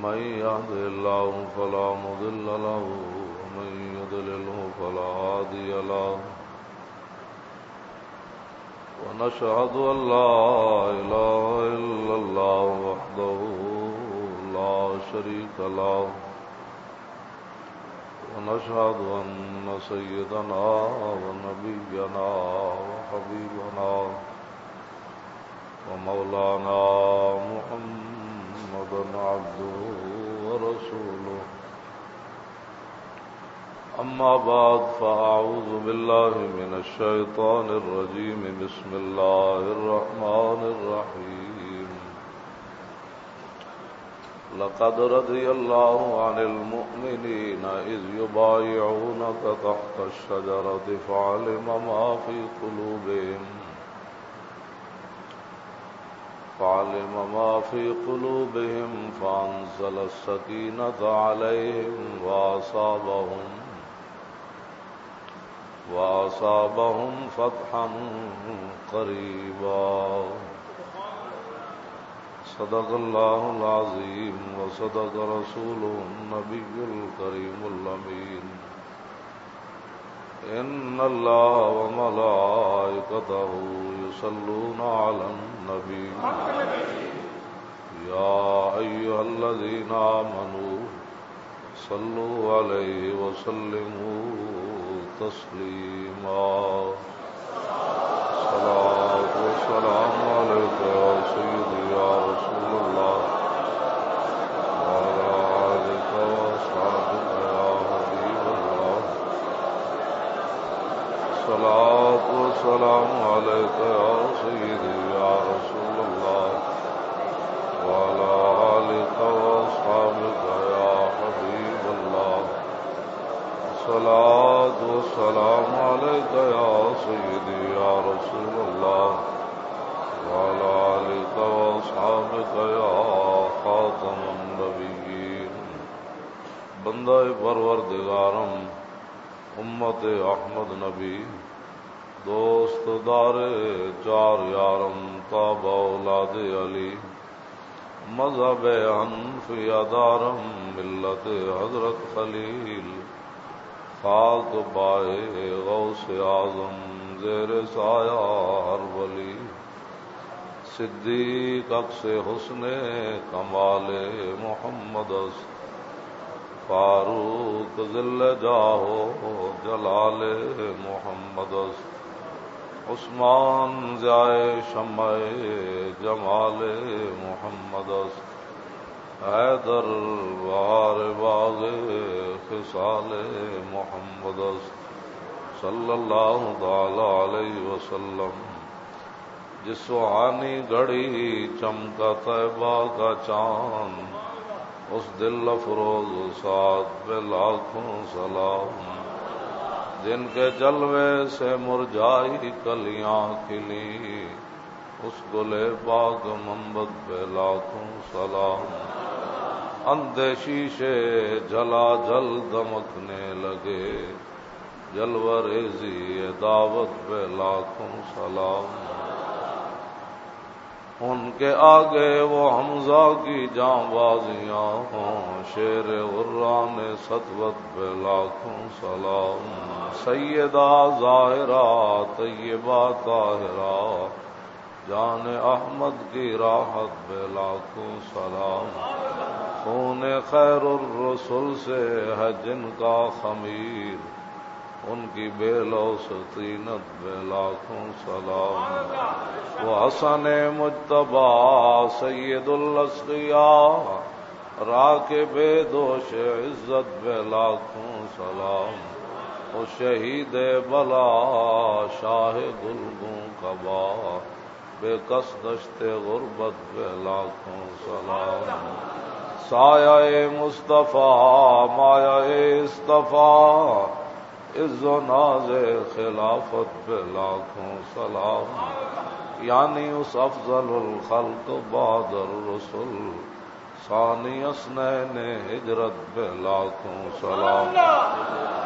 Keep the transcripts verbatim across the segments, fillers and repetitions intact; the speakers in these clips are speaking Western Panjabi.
من يهده الله فلا مضل له، ومن يضلله فلا هادي له. ونشهد أن لا إله إلا الله وحده لا شريك له، ونشهد أن سيدنا ونبينا وحبيبنا ومولانا محمدا عبده ورسوله. أما بعد، فأعوذ بالله من الشيطان الرجيم. بسم الله الرحمن الرحيم. لقد رضي الله عن المؤمنين إذ يبايعونك تحت الشجرة فعلم ما في قلوبهم، فعلم ما في قلوبهم فأنزل السكينة عليهم وأصابهم، وأصابهم فتحا قريبا. صدق الله العظيم وصدق رسوله النبي الكريم الأمين. إن الله وملائكته يصلون على النبي. يا أيها الذين آمنوا صلوا عليه وسلموا تسليما. الصلاة والسلام عليك يا سيدي يا رسول الله، وعلى آلك وأصحابك يا حبيب الله. الصلاة والسلام عليك يا سيدي يا رسول الله، وعلى آلك وأصحابك يا حبيب الله. الصلاة والسلام عليك يا سيدي يا رسول الله، وعلى آلك وأصحابك يا خاتم النبيين. بندہ پروردگارم، امت احمد نبی، دوست دار چار یارم، تاب اولاد علی، مذہب حنفیہ دارم، ملت حضرت خلیل، خاک پائے غوث اعظم، زیر سایہ ہر ولی، صدیق عکس حسن کمال محمد است، فاروق ذل جاہ و جلال محمد است، عثمان ضیاء شمع جمال محمد است، حیدر بہار باغ خصال محمد است، صلی اللہ تعالی علیہ وسلم. جس سہانی گھڑی چمکا طیبہ کا چاند، اس دل افروز سعد پہ لاکھوں سلام. جن کے جلوے سے مرجائی کلیاں کھلی، اس گلے پاک منبت پہ لاکھوں سلام. اندھے شیشے جلا جل دمکنے لگے، جلوہ ریزی دعوت پہ لاکھوں سلام. ان کے آگے وہ حمزہ کی جانبازیاں ہوں، شیر غران سطوت پہ لاکھوں سلام. سیدہ زاہرہ طیبہ طاہرہ، جان احمد کی راحت پہ لاکھوں سلام. خون خیر الرسل سے ہے جن کا خمیر، ان کی بے لوث طینت پہ لاکھوں سلام. وہ حسن مجتبیٰ سید الاشقیاء، راکب دوش عزت پہ لاکھوں سلام. وہ شہید بلا شاہ گلگوں قبا، بے کس دشت غربت پہ لاکھوں سلام. سایہ مصطفیٰ، مایہ اصطفیٰ، عز و ناز خلافت پہ لاکھوں سلام. یعنی اس افضل الخلق بعد الرسل، ثانی اثنین ہجرت پہ لاکھوں سلام.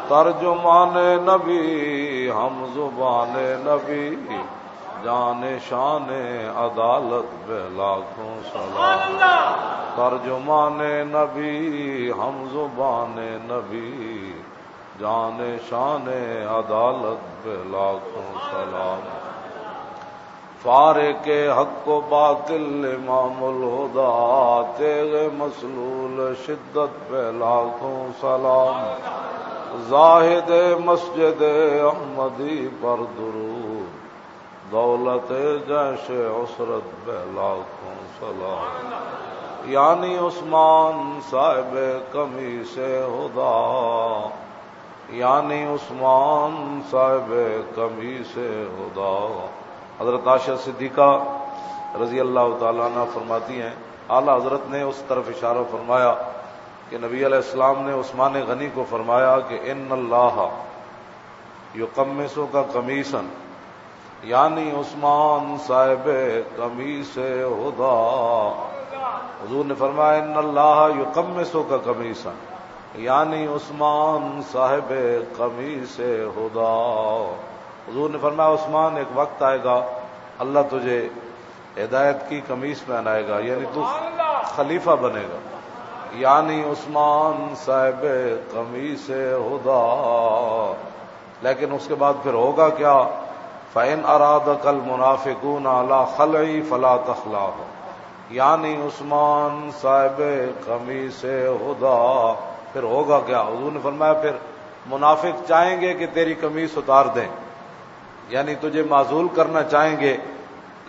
ترجمان نبی، ہم زبان نبی، جان شان عدالت پہ لاکھوں سلام. ترجمان نبی، ہم زبان نبی، جان شان عدالت پہ لاکھوں سلام۔ فارق حق و باطل امام الہدا، تیغ مسلول شدت پہ لاکھوں سلام۔ زاہد مسجد احمدی پر درود، دولت جیش عسرت پہ لاکھوں سلام۔ یعنی عثمان صاحب کمی سے ہدا، یعنی عثمان صاحب کمی سے ہدا۔ حضرت عائشہ صدیقہ رضی اللہ تعالیٰ عنہ فرماتی ہیں، اعلیٰ حضرت نے اس طرف اشارہ فرمایا کہ نبی علیہ السلام نے عثمان غنی کو فرمایا کہ ان اللہ یقمصک قمیصا، یعنی عثمان صاحب قمیص ہدا۔ حضور نے فرمایا، ان اللہ یقمصک قمیصا، یعنی عثمان صاحب قمیص ہدا۔ حضور نے فرمایا، عثمان، ایک وقت آئے گا، اللہ تجھے ہدایت کی قمیص پہنائے گا، یعنی تو خلیفہ بنے گا، یعنی عثمان صاحب قمیص ہدا۔ لیکن اس کے بعد پھر ہوگا کیا؟ فَإِنْ أَرَادَكَ الْمُنَافِقُونَ عَلَى خَلْعِي فَلَا تَخْلَعْهُمْ، یعنی عثمان صاحب قمیص ہدا۔ پھر ہوگا کیا؟ حضور نے فرمایا، پھر منافق چاہیں گے کہ تیری قمیص اتار دیں، یعنی تجھے معزول کرنا چاہیں گے،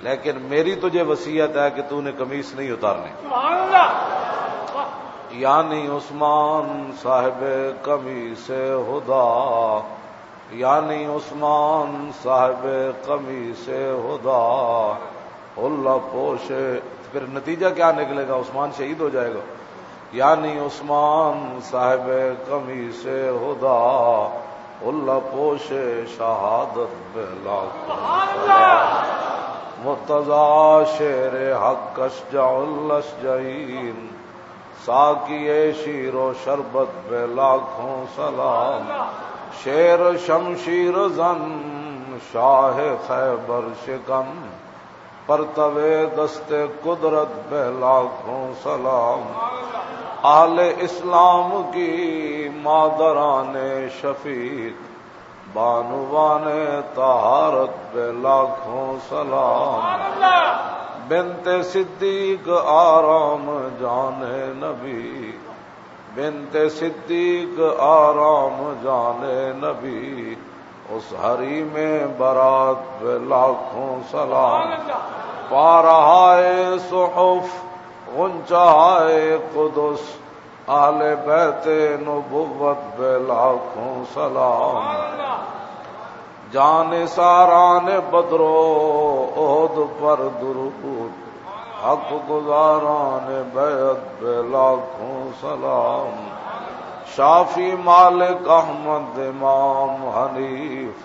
لیکن میری تجھے وصیت ہے کہ تو نے قمیص نہیں اتارنی۔ یعنی عثمان صاحب قمیص ہدا، یعنی عثمان صاحب قمیص ہدا، اللہ پوش۔ پھر نتیجہ کیا نکلے گا؟ عثمان شہید ہو جائے گا۔ یعنی عثمان صاحب قمیص ہدا، اللہ پوش شہادت بے لاکھوں سلام۔ مرتضی شیر حق اشجع الاشجعین، ساقی شیر و شربت بے لاکھوں سلام۔ شیر شمشیر زن شاہ خیبر شکن، پرتوے دست قدرت پہ لاکھوں سلام۔ اہل اسلام کی مادران شفیق، بانوان طہارت پہ لاکھوں سلام۔ بنت صدیق آرام جان نبی، بنت صدیق آرام جان نبی، اس حریم برات پہ لاکھوں سلام۔ پا رہا ہے صحف غنچہ ہے قدس، اہل بیت نبوت پہ لاکھوں سلام۔ جان ساران بدر و احد پر درود، حق گزاران بیعت پہ لاکھوں سلام۔ شافی مالک احمد امام حنیف،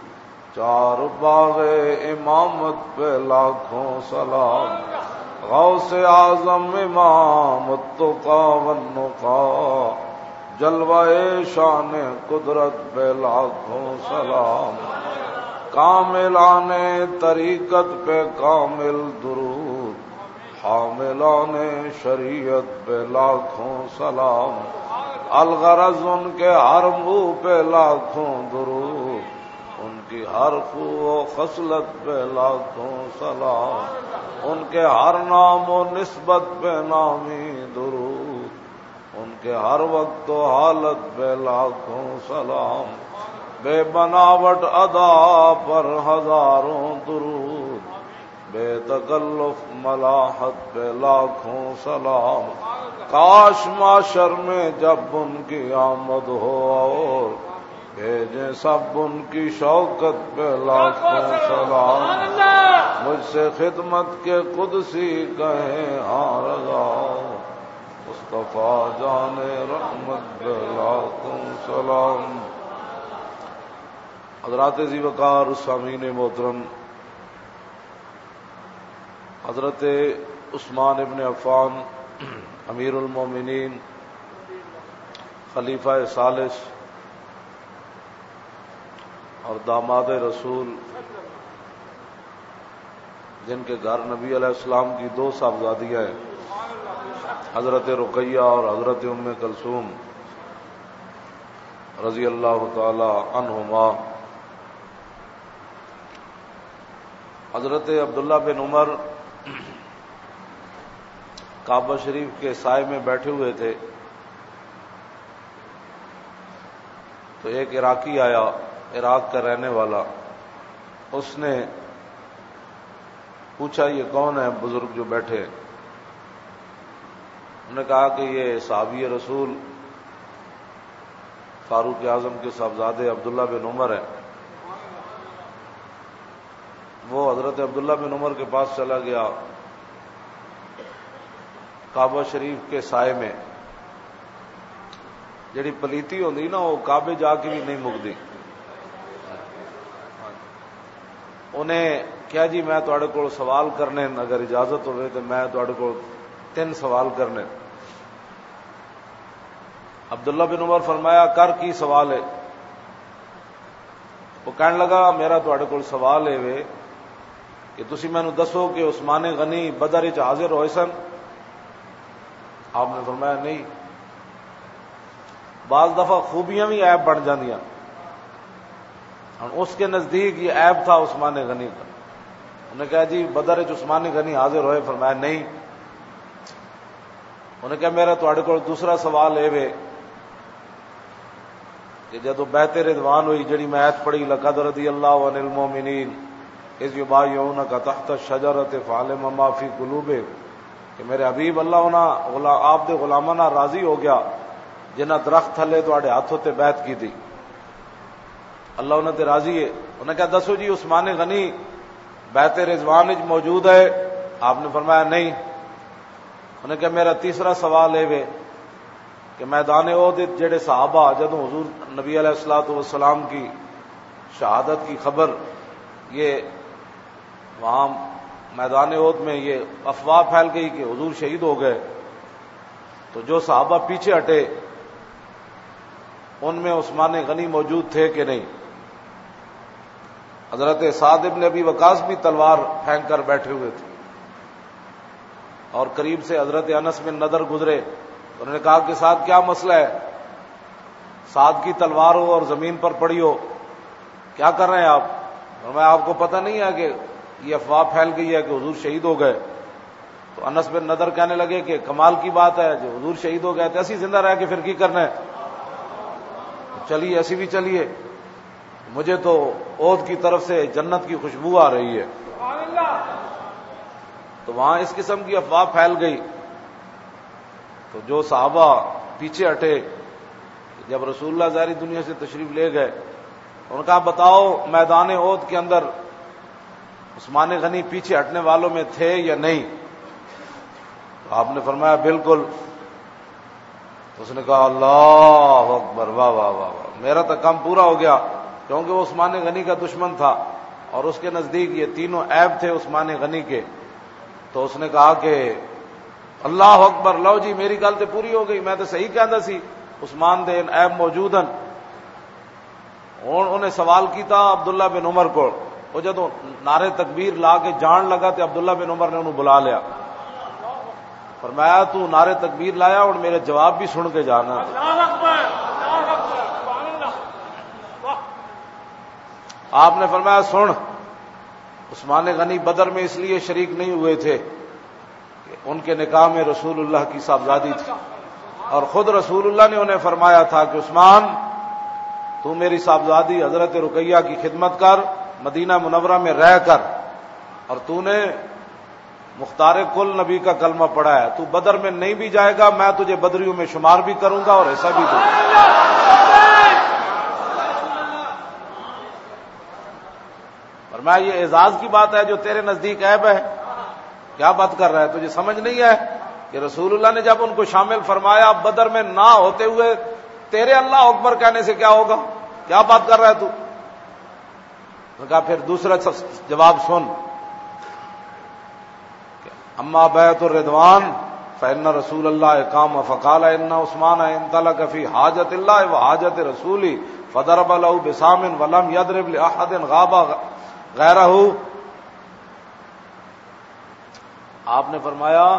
چار باغ امامت پہ لاکھوں سلام۔ غوث اعظم امام التقا والنقا، جلوہ شان قدرت پہ لاکھوں سلام۔ کاملان طریقت پہ کامل درود، حاملان شریعت پہ لاکھوں سلام۔ الغرض ان کے ہر منہ پہ لاکھوں درود، ان کی ہر خو و خصلت پہ لاکھوں سلام۔ ان کے ہر نام و نسبت پہ نامی درود، ان کے ہر وقت و حالت پہ لاکھوں سلام۔ بے بناوٹ ادا پر ہزاروں درود، بے تکلف ملاحت پہ لاکھوں سلام۔ کاش محشر میں جب ان کی آمد ہو اور بھیجیں سب ان کی شوکت پہ لاکھوں سلام۔ مجھ سے خدمت کے قدسی کہیں ہاں رضا، مصطفیٰ جان رحمت پہ لاکھوں سلام۔ حضرات ذی وقار، سامعین محترم، حضرت عثمان ابن عفان، امیر المومنین، خلیفہ ثالث اور داماد رسول، جن کے گھر نبی علیہ السلام کی دو صاحبزادیاں ہیں، حضرت رقیہ اور حضرت ام کلثوم رضی اللہ تعالی عنہما۔ حضرت عبداللہ بن عمر کعبہ شریف کے سائے میں بیٹھے ہوئے تھے، تو ایک عراقی آیا، عراق کا رہنے والا۔ اس نے پوچھا، "یہ کون ہے بزرگ جو بیٹھے ہیں؟" انہوں نے کہا کہ یہ صحابی رسول فاروق اعظم کے صاحبزادے عبداللہ بن عمر ہیں۔ وہ حضرت عبداللہ بن عمر کے پاس چلا گیا، کعبہ شریف کے سائے میں۔ جڑی پلیتی ہوندی نا، وہ کعبے جا کے بھی نہیں مکدی۔ انہیں کہا، "جی، میں تہاڈے کول سوال کرنے، اگر اجازت ہوئے تو میں تہاڈے کول تین سوال کرنے۔" عبداللہ بن عمر فرمایا، "کر، کی سوال ہے؟" وہ کہنے لگا، "میرا تہاڈے کول سوال ہے وے کہ تسی مینوں دسو کہ عثمان غنی بدر وچ حاضر ہوئے سن؟" آپ نے فرمایا، "نہیں۔" بعض دفعہ خوبیاں بھی عیب بن جاندیاں۔ ہن اس کے نزدیک یہ عیب تھا عثمان غنی کا۔ انہیں کہا، "جی، بدر وچ عثمان غنی حاضر ہوئے؟" فرمایا، "نہیں۔" انہیں کہا، "میرا تہاڈے کول دوسرا سوال اے وے کہ جدوں بیعت رضوان ہوئی، جڑی میں آیت پڑھی، لقد رضی اللہ عن المؤمنین اذ یبایعونک تحت الشجرۃ فعلم ما فی قلوبہم، کہ میرے حبیب، اللہ انہاں غلا-، آپ دے غلاماں نال راضی ہو گیا جنہاں درخت تھلے تہاڈے ہاتھ اتے بیعت کیتی، اللہ انہاں تے راضی ہے۔" انہیں کہا، "دسو جی، عثمان غنی بیعت رضوان وچ موجود ہے؟" آپ نے فرمایا، "نہیں۔" انہیں کہا، "میرا تیسرا سوال اے وے کہ میدان احد وچ جڑے صحابہ، جدوں حضور نبی علیہ الصلوۃ والسلام کی شہادت کی خبر، یہ وہاں میدان احد میں یہ افواہ پھیل گئی کہ حضور شہید ہو گئے، تو جو صحابہ پیچھے ہٹے، ان میں عثمان غنی موجود تھے کہ نہیں؟" حضرت سعد ابن ابی وقاص بھی تلوار پھینک کر بیٹھے ہوئے تھے اور قریب سے حضرت انس بن نضر گزرے۔ انہوں نے کہا کہ، "سعد، کیا مسئلہ ہے؟ سعد کی تلوار ہو اور زمین پر پڑی ہو، کیا کر رہے ہیں آپ؟" اور میں، "آپ کو پتہ نہیں ہے کہ یہ افواہ پھیل گئی ہے کہ حضور شہید ہو گئے؟" تو انس بن نضر کہنے لگے کہ کمال کی بات ہے، جو حضور شہید ہو گئے تو اسی زندہ رہ کے پھر کی کرنا ہے؟ چلیے، اسی بھی چلیے، مجھے تو احد کی طرف سے جنت کی خوشبو آ رہی ہے۔ تو وہاں اس قسم کی افواہ پھیل گئی، تو جو صحابہ پیچھے ہٹے، جب رسول اللہ ظاہری دنیا سے تشریف لے گئے، انہوں نے کہا، "بتاؤ، میدان احد کے اندر عثمان غنی پیچھے ہٹنے والوں میں تھے یا نہیں؟" تو آپ نے فرمایا، "بالکل۔" اس نے کہا، "اللہ اکبر، واہ، واہ، واہ، واہ، میرا تو کام پورا ہو گیا۔" کیونکہ وہ عثمان غنی کا دشمن تھا اور اس کے نزدیک یہ تینوں عیب تھے عثمان غنی کے۔ تو اس نے کہا کہ، "اللہ اکبر، لو جی، میری گل تے پوری ہو گئی، میں تے صحیح کہندا سی، عثمان دے ان عیب موجود ہیں۔" ہن انہیں سوال کیتا عبداللہ بن عمر کو، وہ جدوں نعرے تکبیر لا کے جان لگا تے عبداللہ بن عمر نے انہوں بلا لیا، فرمایا، "تو نعرے تکبیر لایا، ہن میرے جواب بھی سن کے جانا۔" آپ نے فرمایا، "سن، عثمان غنی بدر میں اس لیے شریک نہیں ہوئے تھے کہ ان کے نکاح میں رسول اللہ کی صاحبزادی تھی، اور خود رسول اللہ نے انہیں فرمایا تھا کہ عثمان، تو میری صاحبزادی حضرت رقیہ کی خدمت کر، مدینہ منورہ میں رہ کر، اور تو نے مختار کل نبی کا کلمہ پڑھا ہے، تو بدر میں نہیں بھی جائے گا، میں تجھے بدریوں میں شمار بھی کروں گا اور حصہ بھی دوں گا۔" فرمایا، "یہ اعزاز کی بات ہے جو تیرے نزدیک عیب ہے؟ کیا بات کر رہا ہے؟ تجھے سمجھ نہیں ہے کہ رسول اللہ نے جب ان کو شامل فرمایا، بدر میں نہ ہوتے ہوئے تیرے اللہ اکبر کہنے سے کیا ہوگا؟ کیا بات کر رہا ہے تو؟" ان کا پھر دوسرا س-، جواب سن، اما بیعت الرضوان فإن رسول اللہ قام فقال ان عثمان انطلق فی حاجت اللہ و حاجت رسولی فضرب له بسام ولم یضرب لأحد غاب غیرہ۔ آپ نے فرمایا،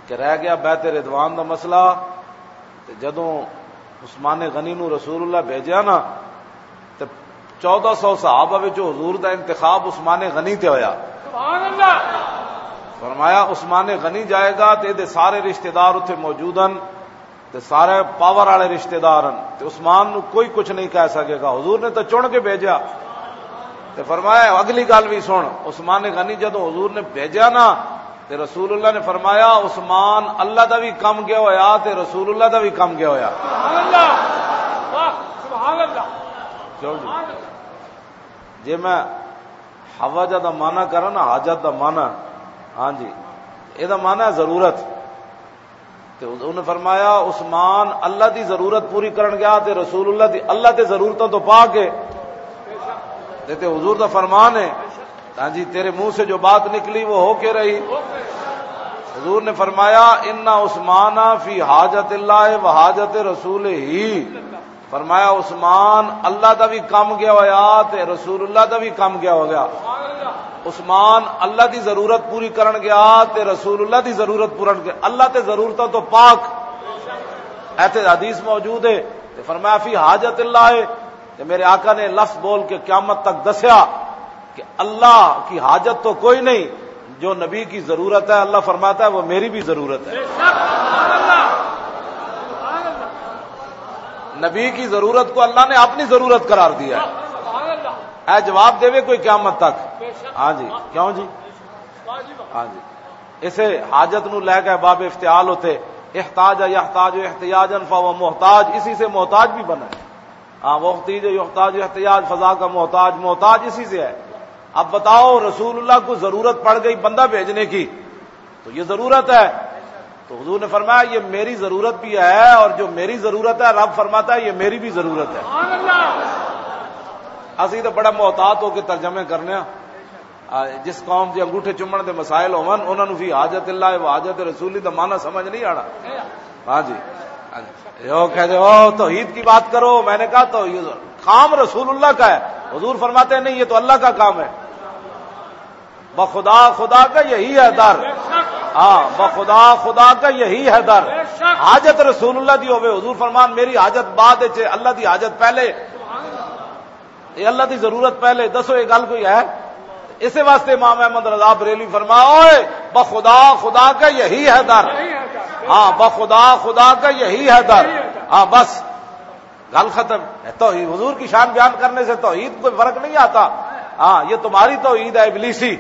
کہ رہ گیا بیعت رضوان دا مسئلہ۔ تے جدوں عثمان غنی نو رسول اللہ بھیجیا نا، تے چودہ سو صحابہ وچوں حضور دا انتخاب عثمان غنی تے ہویا۔ سبحان اللہ۔ فرمایا، عثمان غنی جائے گا تے دے سارے رشتہ دار اتھے موجود ہن، تے سارے پاور والے رشتہ دار ہن، تے عثمان نو کوئی کچھ نہیں کہہ سکے گا۔ حضور نے تو چن کے بھیجا۔ تے فرمایا، اگلی گل بھی سن، عثمان غنی جدوں حضور نے بھیجا نا، تے رسول اللہ نے فرمایا، عثمان اللہ دا بھی کم گیا ہویا تے رسول اللہ دا بھی کم گیا ہویا۔ سبحان اللہ۔ واہ، سبحان اللہ۔ کیوں جی؟ سبحان اللہ۔ جے میں حوجہ دا معنی کراں نا، حاجت دا معنی، ہاں جی، اے دا معنی ہے ضرورت۔ تے انہوں نے فرمایا، عثمان اللہ دی ضرورت پوری کرن گیا تے رسول اللہ دی اللہ تے ضرورتوں تو پا کے۔ تے، تے حضور دا فرمان ہے، ہاں جی، تیرے منہ سے جو بات نکلی وہ ہو کے رہی۔ حضور نے فرمایا، ان عثمان فی حاجت اللہ و حاجت رسول ہی۔ فرمایا، عثمان اللہ دا بھی کم گیا ہویا تے رسول اللہ دا بھی کم گیا ہو گیا۔ عثمان اللہ دی ضرورت پوری کرن گیا تے رسول اللہ دی ضرورت پورن گیا۔ اللہ تے ضرورتوں تو پاک۔ ایتھے حدیث موجود ہے۔ تے فرمایا، فی حاجت اللہ ہے۔ تے میرے آقا نے لفظ بول کے قیامت تک دسیا کہ اللہ کی حاجت تو کوئی نہیں، جو نبی کی ضرورت ہے، اللہ فرماتا ہے، وہ میری بھی ضرورت ہے۔ نبی کی ضرورت کو اللہ نے اپنی ضرورت قرار دیا ہے۔ اے جواب دے کوئی قیامت تک۔ ہاں جی، کیوں جی؟ ہاں جی، اسے حاجت نو لے کے باب افتعال ہوتے، احتاج یحتاج احتیاجا فهو محتاج، اسی سے محتاج بھی بنا ہے۔ ہاں، وہ احتیج یحتاج احتیاج، فضا کا محتاج، محتاج اسی سے ہے۔ اب بتاؤ، رسول اللہ کو ضرورت پڑ گئی بندہ بھیجنے کی، تو یہ ضرورت ہے۔ تو حضور نے فرمایا، یہ میری ضرورت بھی ہے، اور جو میری ضرورت ہے، رب فرماتا ہے، یہ میری بھی ضرورت ہے۔ اسی تو بڑا محتاط ہو کے ترجمے کرنے ہیں۔ آ، جس قوم دے انگوٹھے چومن دے مسائل ہون، انہاں نوں فی حاجت اللہ و حاجت رسول دا معنی سمجھ نہیں آنا۔ ہاں جی، ہاں جی۔ یہ وہ کہتے، "او، توحید کی بات کرو۔" میں نے کہا، "تو یہ کام رسول اللہ کا ہے۔" حضور فرماتے ہیں، "نہیں، یہ تو اللہ کا کام ہے۔" بخدا خدا کا یہی ہے در۔ ہاں، بخدا خدا کا یہی ہے در۔ حاجت رسول اللہ دی ہوے، حضور فرمان، "میری حاجت بعد وچ ہے، اللہ دی حاجت پہلے۔" یہ اللہ دی ضرورت پہلے، دسو یہ گل کوئی ہے؟ اسے واسطے امام احمد رضا بریلوی فرمایا، "اوئے، بخدا خدا کا یہی ہے در۔" ہاں، بخدا خدا کا یہی ہے در۔ ہاں، بس، گل ختم۔ ہے توحید، حضور کی شان بیان کرنے سے توحید کوئی فرق نہیں آتا۔ ہاں، یہ تمہاری توحید ہے ابلیسی۔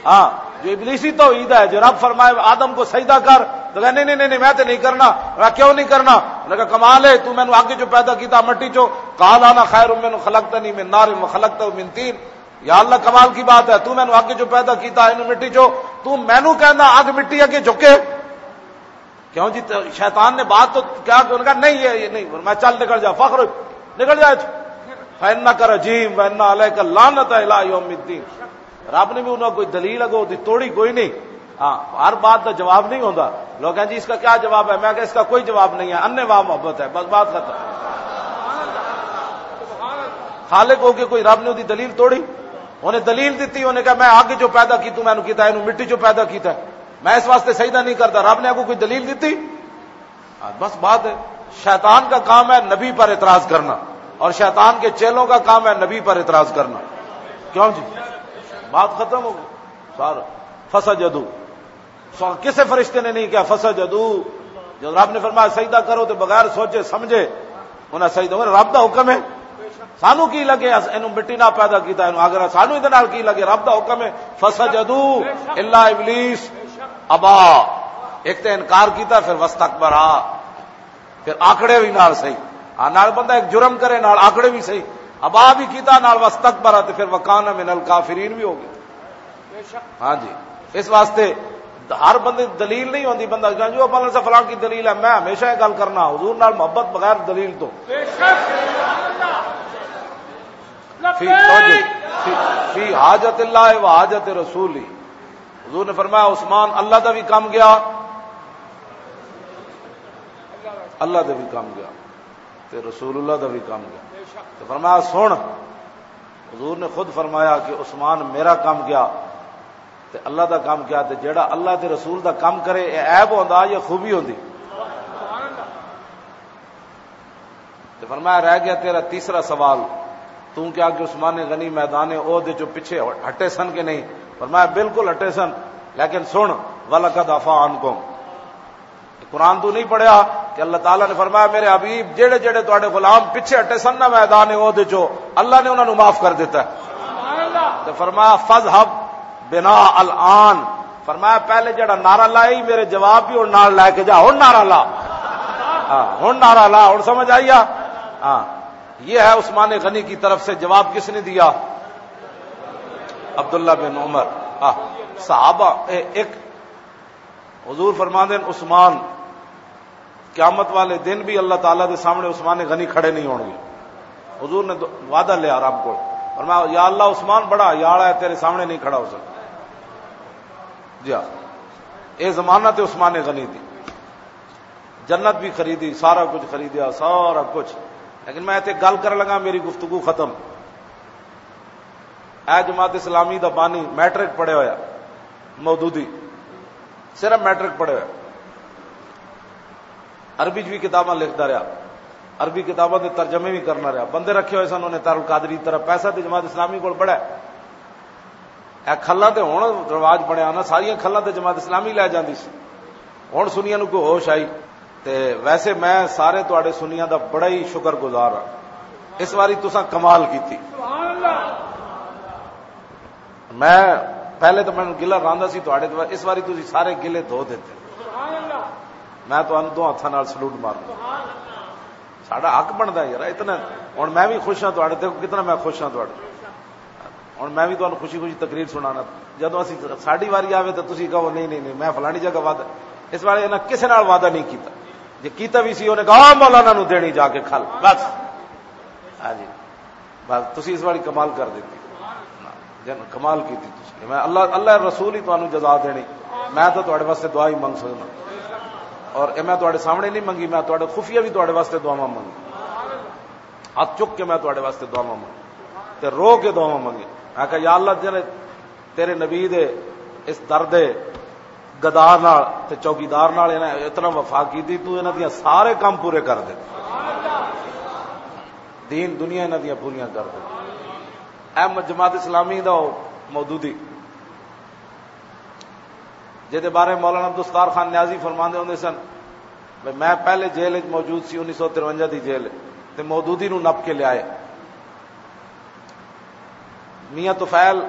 ہاں، جو ابلیسی توحید ہے، جو رب فرمائے آدم کو سجدہ کر، تو کہا، "نہیں، نہیں، نہیں، نہیں، میں تو نہیں کرنا۔" کہا، "کیوں نہیں کرنا؟" انہوں نے کہا، "کمال ہے، تو مینوں اگ چوں پیدا کیتا، مٹی چوں۔" "قال انا خیر منہ خلقتنی من نار و خلقتہ من طین۔" یا اللہ، کمال کی بات ہے، تو مینوں اگ چوں پیدا کیتا، اینوں مٹی چوں، تو مینوں کہنا اگ مٹی اگے جھکے؟ کیوں جی؟ تو شیطان نے بات تو کیا کہ انہوں نے کہا، "نہیں، یہ، یہ نہیں۔" میں، "چل نکل جا، فخر نکل جا اتھوں۔" "فإنک رجیم وإن علیک اللعنۃ الی یوم الدین۔" رب نے بھی انہاں کوئی دلیل اگو دی توڑی کوئی نہیں۔ ہاں، ہر بات دا جواب نہیں ہوندا۔ لوگ کہیں، "جی، اس کا کیا جواب ہے؟" میں کہا، "اس کا کوئی جواب نہیں ہے، انے واہ محبت ہے، بس بات ختم۔" خالق ہو کے کوئی رب نے دی دلیل توڑی؟ انہیں دلیل دیتی، انہیں کہا، "میں اگ چوں پیدا کی، تو مینوں کیتا، اینوں مٹی چوں پیدا کیتا ہے، میں اس واسطے سجدہ نہیں کرتا۔" رب نے اگوں کوئی دلیل دیتی؟ ہاں، بس بات ہے۔ شیطان کا کام ہے نبی پر اعتراض کرنا، اور شیطان کے چیلوں کا کام ہے نبی پر اعتراض کرنا۔ کیوں جی؟ بات ختم ہو گئی۔ سارا فسجدو۔ سو-، کسے فرشتے نے نہیں کہا، "فسجدو۔" جب رب نے فرمایا، "سجدہ کرو"، تو بغیر سوچے سمجھے انہاں سجدہ، رب دا حکم ہے۔ سانو کی لگے، اس اینو مٹی نہ پیدا کیتا، اینو اگر سانو اِدے نال کی لگے، رب دا حکم ہے، "فسجدو الا ابلیس ابا۔" ایک تے انکار کیتا، پھر واستکبرا، پھر آکڑے بھی نال صحیح۔ ہاں، نال بندہ ایک جرم کرے، نال آکڑے بھی صحیح۔ ابا بھی کیتا، نال واستکبرا، تے پھر وکان من الکافرین بھی ہو گیا۔ ہاں جی، اس واسطے ہر بندے دی دلیل نہیں ہوندی، بندہ کہے، "جو فلاں سے فلاں کی دلیل ہے۔" میں ہمیشہ یہ گل کرنا، حضور نال محبت بغیر دلیل تو۔ فی، توجہ، فی، فی حاجت اللہ و حاجت رسول ہی۔ حضور نے فرمایا، عثمان اللہ دا بھی کم گیا، اللہ دا بھی کم گیا، تے رسول اللہ دا بھی کم گیا۔ تو فرمایا، سن، حضور نے خود فرمایا کہ عثمان میرا کم گیا، تے اللہ دا کام کیا؟ تے جیڑا اللہ دے رسول دا کام کرے، اے عیب ہوندا یا خوبی ہوندی؟ تے فرمایا، رہ گیا تیرا تیسرا سوال، تو کیا کہ عثمان غنی میدان عہد جو پیچھے ہٹے سن کہ نہیں؟ فرمایا، بالکل ہٹے سن، لیکن سن، وَلَقَدْ عَفَا عَنْكُمْ۔ قرآن تو نہیں پڑھیا کہ اللہ تعالیٰ نے فرمایا، میرے حبیب، جڑے جڑے تواڈے غلام پیچھے ہٹے سن نا میدان عہد چو، اللہ نے انہاں نوں معاف کر دیتا ہے۔ تے فرمایا، فَاذْهَبْ بِنَا الْآنَ۔ فرمایا، پہلے جڑا نعرہ لائی، میرے جواب بھی ہن نال لے کے جا، ہن نعرہ لا۔ ہاں، ہن نعرہ لا، ہن سمجھ آئی آ؟ ہاں، یہ ہے عثمان غنی کی طرف سے جواب کس نے دیا؟ عبداللہ بن عمر۔ ہاں، صحابہ، اے، ایک حضور فرماندے ہیں، عثمان، قیامت والے دن بھی اللہ تعالیٰ دے سامنے عثمان غنی کھڑے نہیں ہون گے۔ حضور نے دو- وعدہ لیا رب کو، فرمایا، یا اللہ، عثمان بڑا حیا والا ہے، تیرے سامنے نہیں کھڑا ہو سکتا۔ جی ہاں، اے زمانہ تے عثمان غنی دی جنت بھی خریدی، سارا کچھ خریدیا، سارا کچھ۔ لیکن میں اتنے گل کرن لگا، میری گفتگو ختم۔ اے جماعت اسلامی دا بانی، میٹرک پڑھے ہویا، مودودی، صرف میٹرک پڑھے ہویا۔ عربی چ بھی کتاباں لکھدا رہیا، عربی کتاباں دے ترجمے بھی کرنا رہیا۔ بندے رکھے ہوئے سن انہیں، تارل قادری طرح۔ پیسہ تے جماعت اسلامی کول بڑا ہے۔ اے کھلاں تے ہن رواج بنیا نا، ساریاں کھلاں تے جماعت اسلامی لے جاندی سی۔ ہن سنیاں نوں کوئی ہوش آئی۔ تے ویسے میں سارے تواڈے سنیاں دا بڑا ہی شکر گزار ہاں۔ اس واری تساں کمال کیتی۔ میں پہلے تو مینوں گلہ راندا سی تواڈے تے، اس واری تسی سارے گلے دھو دتے۔ میں تانوں دو ہتھاں نال سلوٹ مارنا۔ ساڈا حق بندا ہے یار، اتنا۔ ہن میں بھی خوش ہاں تواڈے تے، کتنا میں خوش ہاں تواڈے۔ ہن میں بھی تانوں خوشی خوشی تقریر سنانا۔ جدوں اسی، ساڈی واری آوے تو تسی کہو، نہیں، نہیں، نہیں، میں فلانی جگہ وعدہ، اس والے انہاں کسے نال وعدہ نہیں کیتا۔ جے کیتا بھی سی، انہیں کہا، "آ مولانا نوں دینی جا کے کھل۔" بس۔ ہاں جی۔ بس تسی اس والی کمال کر دیتی۔ جن کمال کیتی تسی۔ میں اللہ، اللہ رسول ہی تانوں جزا دینی۔ میں تو تواڈے واسطے دعا ہی منگ سکنا۔ اور اے میں تواڈے سامنے نہیں منگی، میں تواڈے خفیہ بھی تواڈے واسطے دعاواں منگی۔ ہاتھ چک کے میں تواڈے واسطے دعاواں منگی۔ تے رو کے دعاواں منگی۔ میں کہا، یا اللہ، جن تیرے نبی دے اس درد گدار نال تے چوکیدار نال انہاں اتنا وفا کیتی، تو انہاں دیاں سارے کام پورے کر دے۔ دین دنیا انہاں دیاں پوریاں کر دے۔ اے م-، جماعت اسلامی دا او مودودی، جے دے بارے مولانا عبدالستار خان نیازی فرماندے ہوندے سن، بھئی میں پہلے جیل وچ موجود سی، انیس سو ترونجا دی جیل، تے مودودی نوں نپ کے لے آئے۔ میاں طفیل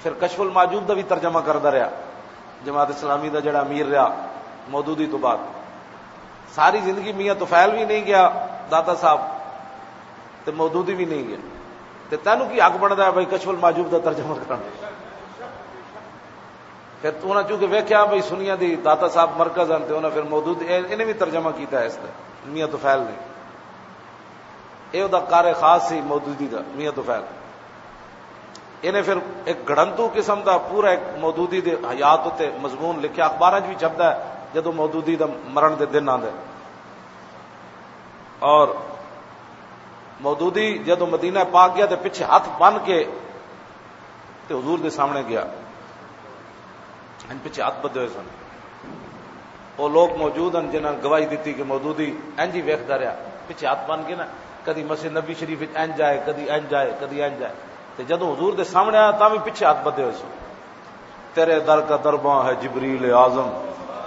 پھر کشف المعجوب دا بھی ترجمہ کردا رہیا، جماعت اسلامی دا جڑا امیر رہیا مودودی تو بعد۔ ساری زندگی میاں طفیل بھی نہیں گیا، داتا صاحب، تے مودودی بھی نہیں گیا۔ تے تینوں کی حق بندا ہے بھائی کشف المعجوب دا ترجمہ کرنا؟ پھر تو انہاں چونکہ ویکھیا بھائی سنیاں دی داتا صاحب مرکز ہن، تے انہاں پھر مودودی، اے-، انہیں بھی ترجمہ کیتا ہے اس دا، میاں طفیل نے۔ اے دا قارئ خاص سی مودودی دا، میاں طفیل۔ انہیں پھر ایک گھڑنتو قسم دا پورا ایک مودودی دے حیات اتے مضمون لکھیا، اخباراں 'چ بھی چھپدا ہے جدوں مودودی دا مرن دے دن آندے۔ اور مودودی جدوں مدینہ پاک گیا تے پچھے ہاتھ بن کے تے حضور دے سامنے گیا۔ ہن پچھے ہاتھ بدھے ہوئے سن۔ او لوگ موجود ہن جنہاں گواہی دتی کہ مودودی انج ہی ویکھدا رہیا، پچھے ہاتھ بن کے نا، کدی مسجد نبی شریف وچ انج آئے، کدی انج آئے، کدی انج آئے۔ تے جدوں حضور دے سامنے آیا تاں وی پچھے ہاتھ بدھے ہوئے سن۔ تیرے در کا درباں ہے جبریل اعظم،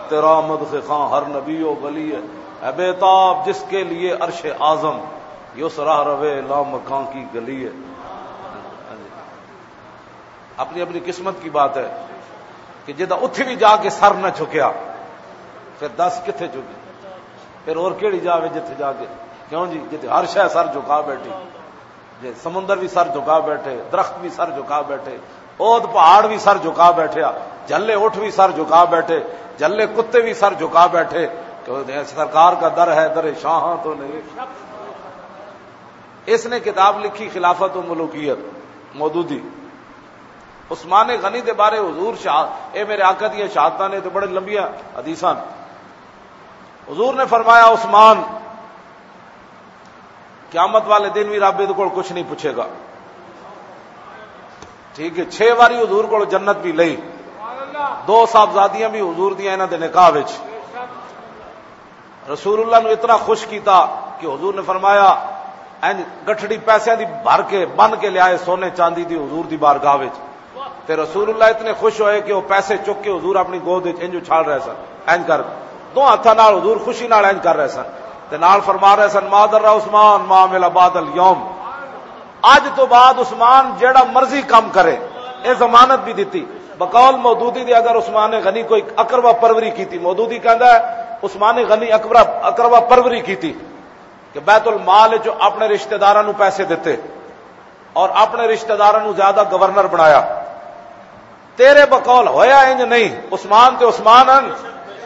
تیرا مدح خاں ہر نبی و ولی ہے۔ اے بے تاب جس کے لیے عرش اعظم، یہ اس راہ روے لامکاں کی گلی ہے۔ اپنی اپنی قسمت کی بات ہے کہ جدا اتھے بھی جا کے سر نہ جھکیا، پھر دس کتھے جھکے؟ پھر اور کیڑی جا وے جتھے جا کے؟ کیوں جی، جتھے ہر شے سر جھکا بیٹھی، جے سمندر بھی سر جھکا بیٹھے، درخت بھی سر جھکا بیٹھے، اوت پہاڑ بھی سر جھکا بیٹھے، جھلے اٹھ بھی سر جھکا بیٹھے، جھلے کتے بھی سر جھکا بیٹھے، تو سرکار کا در ہے در شاہاں تو نہیں۔ اس نے کتاب لکھی خلافت و ملوکیت، مودودی۔ عثمان غنی دے بارے حضور شاہ، اے میرے آقا دیاں شہادتاں نے تے بڑے لمبیاں حدیثاں۔ حضور نے فرمایا، عثمان، قیامت والے دن بھی رب دے کول کچھ نہیں پوچھے گا۔ ٹھیک ہے، چھ واری حضور کول جنت بھی لئی۔ دو صاحبزادیاں بھی حضور دیاں انہاں دے نکاح وچ۔ رسول اللہ نو اتنا خوش کیتا کہ حضور نے فرمایا، انج گٹھڑی پیسے دی بھر کے، بن کے لے آئے سونے چاندی دی حضور دی بارگاہ وچ۔ تے رسول اللہ اتنے خوش ہوئے کہ وہ پیسے چک کے حضور اپنی گود وچ انج اچھال رہے سن، انج کر دو ہاتھاں نال حضور خوشی نال انج کر رہے سن۔ تے نال فرما رہے سن، "ما ضر عثمان ما عمل بعد الیوم۔" اج تو بعد عثمان جیڑا مرضی کام کرے، اے ضمانت بھی دتی۔ بقول مودودی دے اگر عثمان غنی کوئی اقربا پروری کیتی، مودودی کہندا ہے، عثمان غنی اقربا، اقربا پروری کیتی کہ بیت المال چوں اپنے رشتہ داراں نوں پیسے دتے اور اپنے رشتہ داراں نوں زیادہ گورنر بنایا۔ تیرے بقول ہویا انج نہیں، عثمان تے عثمان ہن۔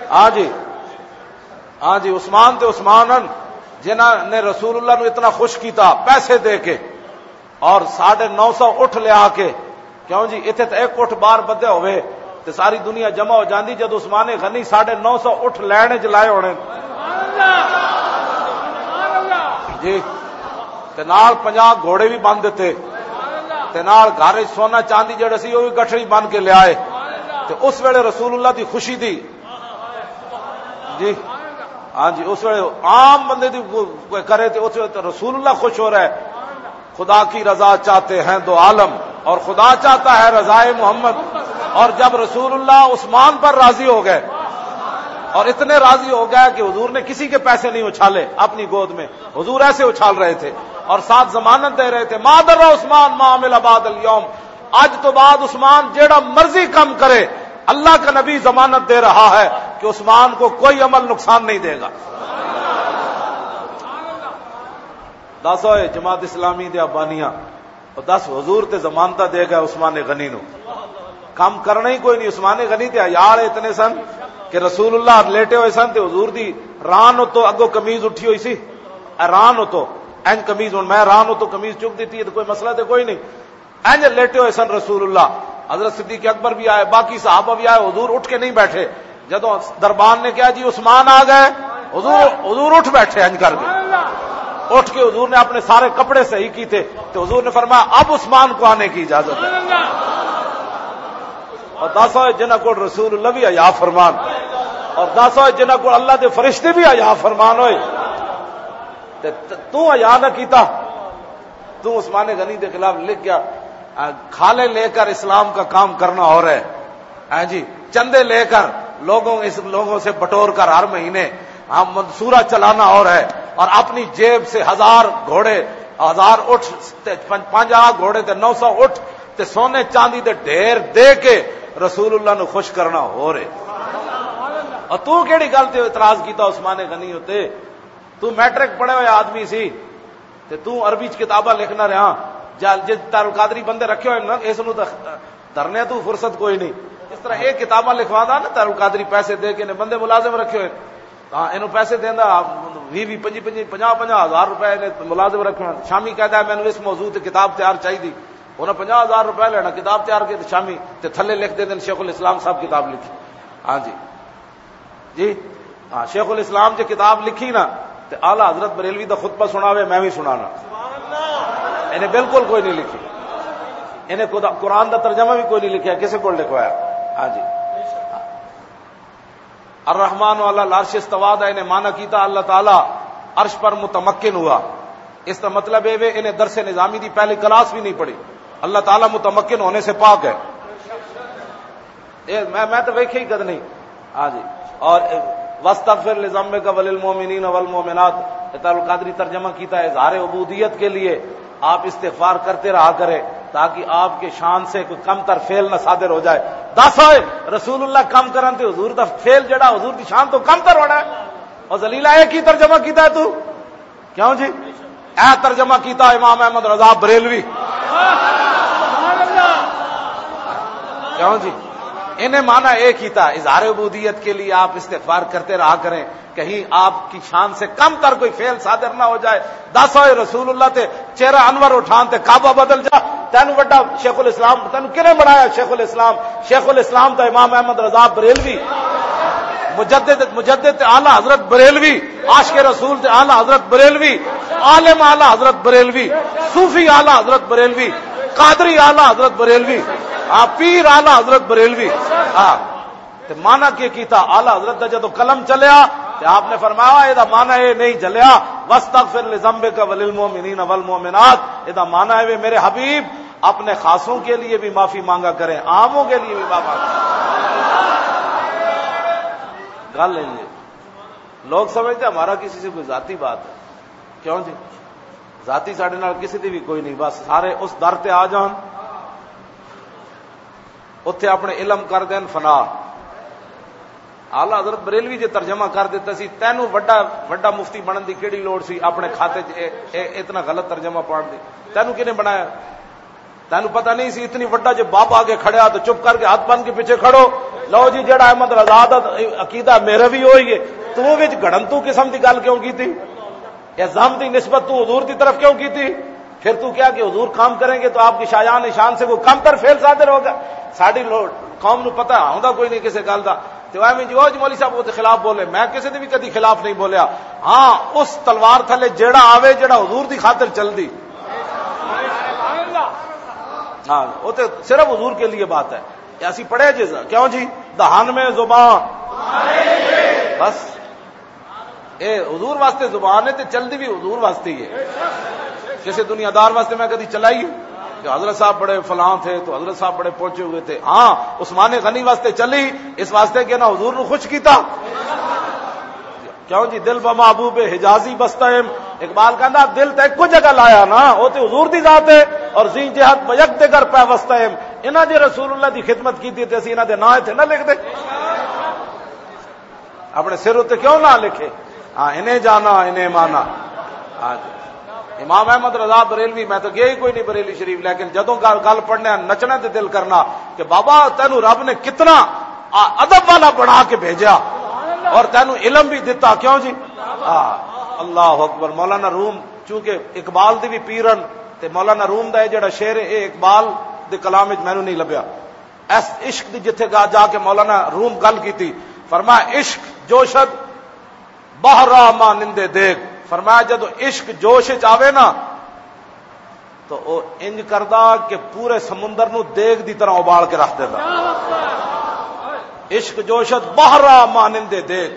ہاں جی، ہاں جی، عثمان تے عثمان ہن، جنہاں نے رسول اللہ نو اتنا خوش کیتا پیسے دے کے اور ساڑھے نو سو اٹھ لیا کے۔ کیوں جی، اتھے تے ایک اٹھ بار بدھے ہوئے تے ساری دنیا جمع ہو جاندی، جد عثمان غنی ساڑھے نو سو اٹھ لین وچ لائے ہونے۔ جی، تے نال پنجاہ گھوڑے بھی بن دتے، تے نال گھر وچ سونا چاندی جڑا سی، وہ بھی گٹھڑی بن کے لیا ہے۔ تے اس ویلے رسول اللہ دی خوشی دی، جی، ہاں جی، اس ویلے عام بندے دی کوئی کرے تے اس ویلے تے رسول اللہ خوش ہو رہا ہے۔ خدا کی رضا چاہتے ہیں دو عالم، اور خدا چاہتا ہے رضائے محمد۔ اور جب رسول اللہ عثمان پر راضی ہو گئے، اور اتنے راضی ہو گئے کہ حضور نے کسی کے پیسے نہیں اچھالے اپنی گود میں، حضور ایسے اچھال رہے تھے اور ساتھ ضمانت دے رہے تھے، "ما ضر عثمان ما عمل بعد الیوم۔" اج تو بعد عثمان جیڑا مرضی کام کرے، اللہ کا نبی ضمانت دے رہا ہے کہ عثمان کو کوئی عمل نقصان نہیں دے گا۔ دس ہوئے جماعت اسلامی دے ابانیاں، اور دس حضور تے ضمانتہ دے گئے عثمان غنی نو۔ کام کرنا ہی کوئی نہیں۔ عثمان غنی تے عیال اتنے سن کہ رسول اللہ لیٹے ہوئے سن تے حضور دی ران اتو اگو قمیض اٹھی ہوئی سی، اے ران اتو، این قمیض، ہن میں ران اتو قمیض چک دیتی ہے تو کوئی مسئلہ تے کوئی نہیں۔ اینج لیٹے ہوئے سن رسول اللہ۔ حضرت صدیق اکبر بھی آئے، باقی صحابہ بھی آئے، حضور اٹھ کے نہیں بیٹھے۔ جدوں دربان نے کہا، "جی عثمان آ گئے"، حضور، حضور اٹھ بیٹھے اینج کر کے۔ اٹھ کے حضور نے اپنے سارے کپڑے صحیح کیتے تو حضور نے فرمایا، "اب عثمان کو آنے کی اجازت ہے۔" اور دس ہوئے جنہاں کو رسول اللہ بھی حیا فرمان، اور دس ہوئے جنہاں کو اللہ دے فرشتے بھی حیا فرمان ہوئے۔ تے ت-، تو حیا نہ کیتا۔ تو عثمان غنی کے خلاف لکھ گیا، آ، کھالے لے کر اسلام کا کام کرنا ہو رہا ہے۔ ہاں جی، چندے لے کر لوگوں، اس لوگوں سے بٹور کر ہر مہینے ہم منصورہ چلانا ہو رہا ہے، اور اپنی جیب سے ہزار گھوڑے، ہزار اٹھ، تے پن-، پنجاہ گھوڑے تے نو سو اٹھ تے سونے چاندی دے ڈھیر دے کے رسول اللہ نو خوش کرنا ہو رہے۔ اور تو کیڑی گل تے اعتراض کیتا عثمان غنی ہوتے؟ تو میٹرک پڑھے ہوئے آدمی سی، تے تو عربی چ کتاباں لکھنا رہا۔ جا-، جے تارل قادری بندے رکھے ہوئے نا، اس نو تاں دھرنے تو فرصت کوئی نہیں۔ اس طرح یہ کتاباں لکھوا دا نا، تارل قادری پیسے دے کے نے بندے ملازم رکھے ہوئے، ہاں، اینو پیسے دیندا، ویہہ ویہہ، پنجی پنجی، پنجاہ پنجاہ ہزار روپے نے ملازم رکھے ہوئے۔ شامی کہدا ہے، "مینوں اس موضوع تے کتاب تیار چاہیدی۔" انہاں پنجاہ ہزار روپے لینا، کتاب تیار کے تے شامی تے تھلے لکھ دے دین، "شیخ الاسلام صاحب کتاب لکھی۔" ہاں جی۔ جی، ہاں، شیخ الاسلام جے کتاب لکھی نا، تے اعلیٰ حضرت بریلوی دا خطبہ سناوے، میں بھی سنانا۔ انہیں بالکل کوئی نہیں لکھی۔ انہیں خدا، قرآن دا ترجمہ بھی کوئی نہیں لکھیا، کسے کول لکھوایا؟ ہاں جی۔ الرحمن علی العرش استوا دا انہیں معنی کیتا، اللہ تعالیٰ عرش پر متمکن ہوا۔ اس کا مطلب یہ وے، انہیں درس نظامی دی پہلی کلاس بھی نہیں پڑھی۔ اللہ تعالیٰ متمکن ہونے سے پاک ہے۔ اے میں، میں تو ویکھے ہی کد نہیں۔ ہاں جی۔ اور، اے، "واستغفر لذنبک وللمؤمنین والمؤمنات۔" اے تارل قادری ترجمہ کیتا ہے، اظہار عبودیت کے لیے آپ استغفار کرتے رہا کریں، تاکہ آپ کے شان سے کوئی کم تر فعل نہ صادر ہو جائے۔ دس ہوئے، رسول اللہ کم کرن تے حضور دا فعل جڑا حضور دی شان تو کم تر ہونا ہے۔ اور ذلیلہ، اے کی ترجمہ کیتا ہے تو؟ کیوں جی؟ اے ترجمہ کیتا امام احمد رضا بریلوی۔ کیوں جی؟ انہیں معنی اے کیتا، اظہار عبودیت کے لیے آپ استغفار کرتے رہا کریں، کہیں آپ کی شان سے کم تر کوئی فعل صادر نہ ہو جائے۔ دس ہوئے رسول اللہ تے چہرہ انور اٹھان تے کعبہ بدل جا، تینوں وڈا شیخ الاسلام، تینوں کنے بنایا شیخ الاسلام؟ شیخ الاسلام دا امام احمد رضا بریلوی، مجدد، مجدد اعلیٰ حضرت بریلوی، عاشق رسول تے اعلیٰ حضرت بریلوی، عالم اعلیٰ حضرت بریلوی، صوفی اعلیٰ حضرت بریلوی، قادری اعلیٰ حضرت بریلوی، ہاں، پیر اعلیٰ حضرت بریلوی۔ ہاں۔ تے مانا کی کیتا؟ اعلیٰ حضرت دا جدوں قلم چلیا، تے آپ نے فرمایا، "اے دا مانا اے نہیں جلیا، واستغفر لذنبک وللمؤمنین والمؤمنات۔" اے دا مانا ہے، وے میرے حبیب، اپنے خاصوں کے لیے بھی معافی مانگا کریں، عاموں کے لیے بھی معافی مانگا کریں۔ گل ہے یہ۔ لوگ سمجھتے ہیں ہمارا کسی سے کوئی ذاتی بات ہے۔ کیوں جی؟ ذاتی ساڈے نال کسی دی بھی کوئی نہیں، بس سارے اس در تے آ جان، اوتھے اپنے علم کر دین فنا۔ اعلیٰ حضرت بریلوی جے ترجمہ کر دیتا سی، "تینوں وڈا، وڈا مفتی بنن دی کیڑی لوڑ سی، اپنے کھاتے چ اے، اے اتنا غلط ترجمہ پڑھن دی؟ تینوں کنے بنایا؟ تینوں پتہ نہیں سی، اتنی وڈا جے بابا آگے کھڑیا تو چپ کر کے ہاتھ بن کے پیچھے کھڑو۔ لو جی، جیڑا احمد رضا دا عقیدہ میرا بھی ہوئی ہے، تو وچ گھڑنتو قسم دی گل کیوں کیتی؟ الزام دی نسبت تو حضور دی طرف کیوں کیتی؟ پھر تو کیا کہ حضور کام کریں گے تو آپ کی شایان شان سے کوئی کم تر فعل صادر ہوگا۔" ساڈی لو-، قوم نو پتہ ہوندا کوئی نہیں کسے گل دا۔ تے وہ ایویں جو، "او جی مولوی صاحب، وہ تے خلاف بولے۔" میں کسے دے بھی کدی خلاف نہیں بولیا۔ ہاں، اس تلوار تھلے جیڑا آوے، جیڑا حضور دی خاطر چل دی۔ ہاں، وہ تے صرف حضور کے لیے بات ہے۔ یہ اسی پڑھے جی، کیوں جی؟ دہان میں زبان۔ بس۔ اے حضور واسطے زبان ہے تے چلدی بھی حضور واسطے ہی ہے۔ کسے دنیا دار واسطے میں کدی چلائی کہ حضرت صاحب بڑے فلاں تھے تو حضرت صاحب بڑے پہنچے ہوئے تھے؟ ہاں، عثمان غنی واسطے چلی، اس واسطے کہ نہ حضور نو خوش کیتا۔ کیوں جی؟ دل بہ محبوب حجازی بستہ ایم۔ اقبال کہندا، "دل تے ایکو جگہ لایا نا، او تے حضور دی ذات ہے، اور زی جہت بیک دگر پیوستہ ایم۔" انہاں جے رسول اللہ دی خدمت کیتی تے اسی انہاں دے نام ایتھے نہ لکھ دے۔ اپنے سر اُتے کیوں نہ لکھے؟ ہاں، انہیں جانا، انہیں مانا۔ ہاں جی۔ امام احمد رضا بریلوی، میں تو گیا ہی کوئی نہیں بریلی شریف، لیکن جدوں گل، گل پڑھنے، نچنے تے دل کرنا کہ بابا، تینوں رب نے کتنا آ-، ادب والا بنا کے بھیجا اور تینوں علم بھی دتا، کیوں جی؟ ہاں، اللہ اکبر۔ مولانا روم، چونکہ اقبال دی بھی پیرن، تے مولانا روم دا یہ جڑا شعر ہے، یہ اقبال دے کلام وچ مینوں نہیں لبھیا۔ اس عشق دی جتھے گا جا کے مولانا روم گل کیتی، فرمایا، "عشق جوشد بحرا مانندے دیگ۔" فرمایا، جدوں عشق جوش وچ آوے نا، تو او انج کردا کہ پورے سمندر نو دیگ دی طرح ابال کے رکھ دیندا۔ عشق جوشد بحرا مانندے دیگ۔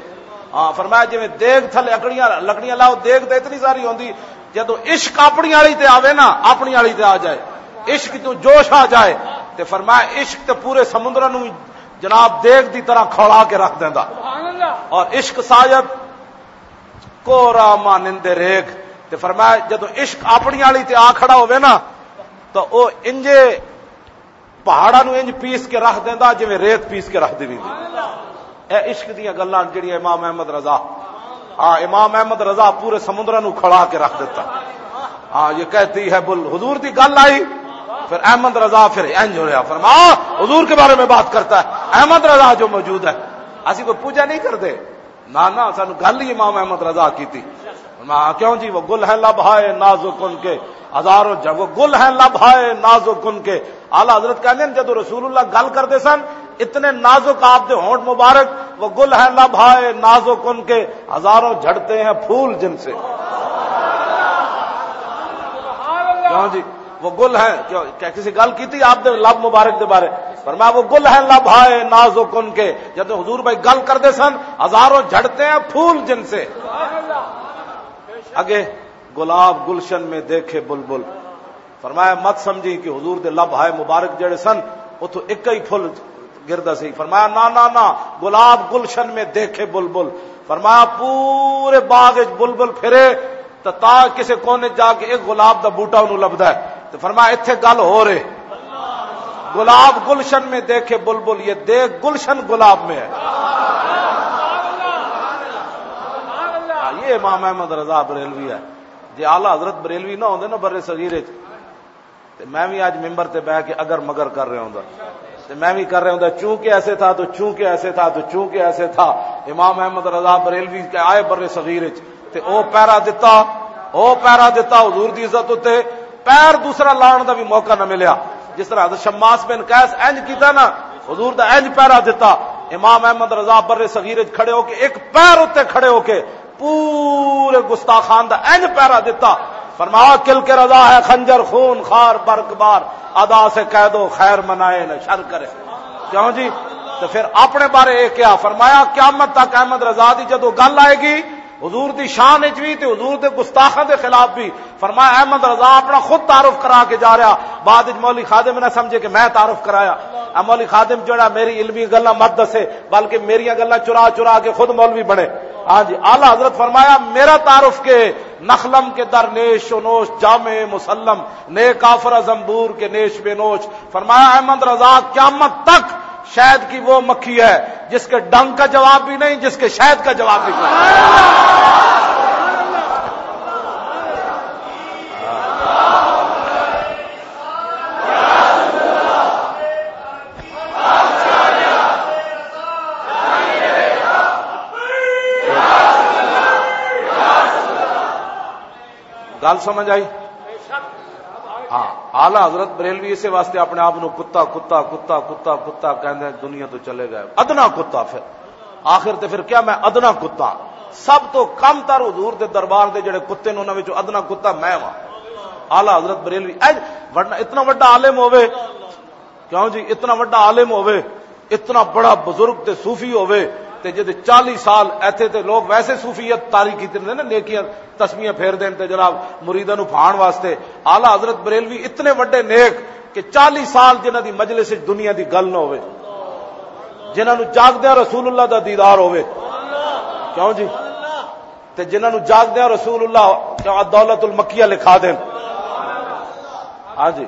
ہاں، فرمایا، جویں دیگ تھلے اکڑیاں، لکڑیاں لاؤ، دیگ تے اتنی ساری ہوندی، جدوں عشق اپنی آلی تے آوے نا، اپنی آلی تے آ جائے، عشق تو جوش آ جائے، تے فرمایا، عشق تے پورے سمندر نو جناب دیگ دی طرح کھولا کے رکھ دیندا۔ اور عشق ساجد کو راہ مانندے ریگ۔ تے فرمایا، جدوں عشق اپنی آلی تے آ کھڑا ہووے نا، تو او انجے پہاڑاں نو انج پیس کے رکھ دیندا جویں ریت پیس کے رکھ دیوی دی۔ اے عشق دیاں گلاں جڑیاں امام احمد رضا، ہاں، امام احمد رضا پورے سمندراں نو کھڑا کے رکھ دیتا۔ ہاں، یہ کہتی ہے بل، حضور دی گل آئی، پھر احمد رضا پھر انج ہویا، فرما، حضور کے بارے میں بات کرتا ہے، احمد رضا جو موجود ہے۔ اسی کوئی پوجا نہیں کرتے، نہ، نہ، سانو گل ہی امام احمد رضا کی تھی۔ فرمایا، کیوں جی؟ وہ گل ہیں لب ہائے نازک ان کے ہزاروں جھڑ، وہ گل ہیں لب ہائے نازک ان کے۔ اعلیٰ حضرت کہندے نے، جدوں رسول اللہ گل کردے سن، اتنے نازک آپ دے ہونٹ مبارک، وہ گل ہیں لب ہائے نازک ان کے ہزاروں جھڑتے ہیں پھول جن سے۔ کیوں جی؟ وہ گل ہیں، کیوں، کیا کسی گل کی تھی آپ دے لب مبارک دے بارے؟ فرمایا، وہ گل ہیں لب ہائے نازک ان کے۔ جدوں حضور بھائی گل کردے سن، ہزاروں جھڑتے ہیں پھول جن سے۔ اگے گلاب گلشن میں دیکھے بلبل۔ فرمایا، مت سمجھی کہ حضور دے لب ہائے مبارک جڑے سن، اتھوں اک ہی پھل گردا سی۔ فرمایا، نہ، نہ، نہ، گلاب گلشن میں دیکھے بلبل۔ فرمایا، پورے باغ وچ بلبل پھرے، تے تا کسے کونے جا کے ایک گلاب دا بوٹا انہوں لبدا ہے۔ تے فرمایا، اتھے گل ہو رہے، گلاب گلشن میں دیکھے بلبل، یہ دیکھ گلشن گلاب میں ہے۔ ہاں، یہ امام احمد رضا بریلوی ہے۔ جے اعلیٰ حضرت بریلوی نہ ہوندے نا بر صغیر وچ، تے میں بھی اج ممبر تے بیٹھ کے اگر مگر کر رہا ہوندا، تے میں بھی کر رہا ہوندا، چونکہ ایسے تھا تو چونکہ ایسے تھا تو چونکہ ایسے تھا۔ امام احمد رضا بریلوی کے آئے بر صغیر وچ، تے او پیرا دتا، او پیرا دتا حضور دی عزت اُتے، پیر دوسرا لان دا بھی موقع نہ ملیا۔ جس طرح حضرت شماس بن قیس انج کیتا نا، حضور دا انج پیرا دتا، امام احمد رضا بر صغیر وچ کھڑے ہو کے، ایک پیر اُتے کھڑے ہو کے، پورے گستاخان دا انج پیرا دتا۔ فرمایا، کل کے رضا ہے خنجر خون خار برق بار، ادا سے کہہ دو خیر منائے نہ شر کرے۔ کیوں جی؟ تو پھر اپنے بارے یہ کیا فرمایا؟ قیامت تک احمد رضا دی جدوں گل آئے گی، حضور دی شان وچ بھی تے حضور دے گستاخاں دے خلاف بھی۔ فرمایا، احمد رضا اپنا خود تعارف کرا کے جا رہا۔ بعد وچ مولوی خادم نہ سمجھے کہ میں تعارف کرایا۔ اے مولوی خادم جڑا میری علمی گلاں مت دسے، بلکہ میریاں گلاں چرا چرا کے خود مولوی بنے۔ ہاں جی، اعلیٰ حضرت فرمایا، میرا تعارف کے نخلم کے در نیش و نوش، جامع مسلم، نئے کافر زنبور کے نیش بے نوش۔ فرمایا، احمد رضا قیامت تک شہد کی وہ مکھی ہے جس کے ڈنگ کا جواب بھی نہیں، جس کے شہد کا جواب بھی نہیں۔ گل سمجھ آئی؟ ہاں، اعلیٰ حضرت بریلوی اسے واسطے اپنے آپ نو کتا، کتا، کتا، کتا، کتا کہندے دنیا تو چلے گئے۔ ادنا کتا پھر۔ آخر تے پھر کیا، میں ادنا کتا۔ سب تو کم تر حضور دے دربار دے جڑے کتے نے، انہاں وچوں ادنا کتا میں واں۔ اعلیٰ حضرت بریلوی، اے ورنہ اتنا وڈا عالم ہووے، کیوں جی، اتنا وڈا عالم ہووے، اتنا بڑا بزرگ تے صوفی ہووے، تے جدے چالی سال ایتھے تے لوگ ویسے صوفیت طاری کیتے نے نا، نیکیاں تسمیاں پھیر دین تے جناب مریداں نوں بھان واسطے۔ اعلیٰ حضرت بریلوی اتنے وڈے نیک کہ چالی سال جنہاں دی مجلس وچ دنیا دی گل نہ ہووے، جنہاں نوں جاگدیاں رسول اللہ دا دیدار ہووے۔ کیوں جی؟ تے جنہاں نوں جاگدیاں رسول اللہ کیا دولت المکیہ لکھا دین۔ ہاں جی۔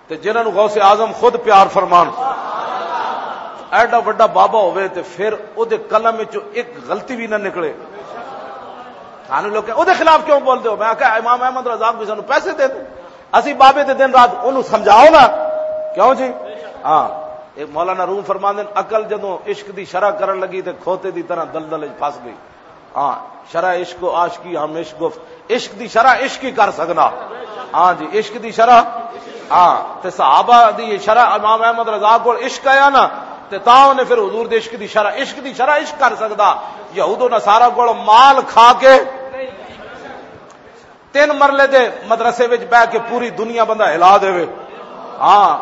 تے جنہاں نوں غوث اعظم خود پیار فرمان، ایڈا وڈا بابا ہوئے تے پھر او دے قلم وچوں ایک غلطی بھی نہ نکلے۔ سانو لوگ او دے خلاف کیوں بول دے ہو؟ میں آکھیا، امام احمد رضا بھی سانو پیسے دے دے، اسی بابے دے دن رات اونوں سمجھاؤ نا۔ کیوں جی؟ ہاں، ایک مولانا روم فرماندے نے، عقل جدوں عشق دی شرح کرن لگی تے کھوتے دی طرح دلدل وچ پھس گئی۔ ہاں، شرح عشق و عاشقی ہم عشق گفت، عشق دی شرح عشق ہی کر سکنا۔ ہاں جی، عشق دی شرح۔ ہاں، تے صحابہ دی شرح امام احمد رضا کول عشق آیا نا، تے تاں انہیں پھر حضور دے عشق دی شرح، عشق دی شرح عشق کر سکدا۔ یہود و نصارہ کول مال کھا کے تین مرلے دے مدرسے وچ بہ کے پوری دنیا بندہ ہلا دے وے۔ ہاں،